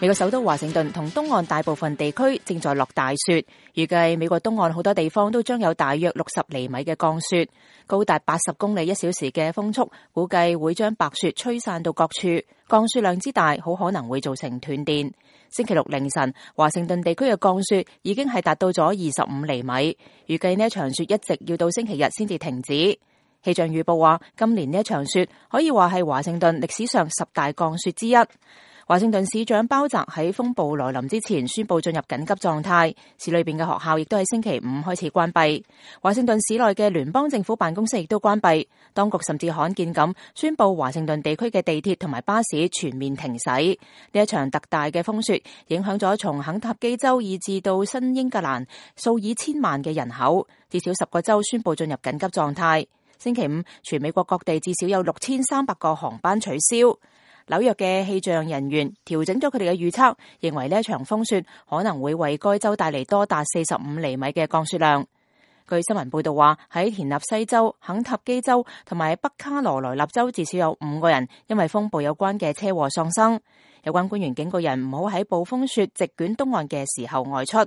美國首都華盛頓同東岸大部分地區正在落大雪，預計美國東岸好多地方都將有大約60厘米嘅降雪，高達80公里一小時嘅風速，估計會將白雪吹散到各處。降雪量之大，好可能會造成斷電。星期六凌晨，華盛頓地區嘅降雪已經係達到咗25厘米，預計呢一場雪一直要到星期日先至停止。氣象預報話，今年呢一場雪可以話係華盛頓歷史上10大降雪之一。華盛頓市長鮑澤喺風暴來臨之前宣布進入緊急狀態，市裏邊嘅學校亦都喺星期五開始關閉。華盛頓市內嘅聯邦政府辦公室亦都關閉，當局甚至罕見咁宣布華盛頓地區嘅地鐵同埋巴士全面停駛。呢一場特大嘅風雪影響咗從肯塔基州以至到新英格蘭數以千萬嘅人口，至少10個州宣布進入緊急狀態。星期五，全美國各地至少有6300個航班取消。紐約嘅氣象人員調整咗佢哋嘅預測，認為呢一場風雪可能會為該州帶嚟多達45厘米嘅降雪量。據新聞報道話，喺田納西州、肯塔基州同埋北卡羅來納州至少有5個人因為風暴有關嘅車禍喪生。有關官員警告人唔好喺暴風雪席捲東岸嘅時候外出。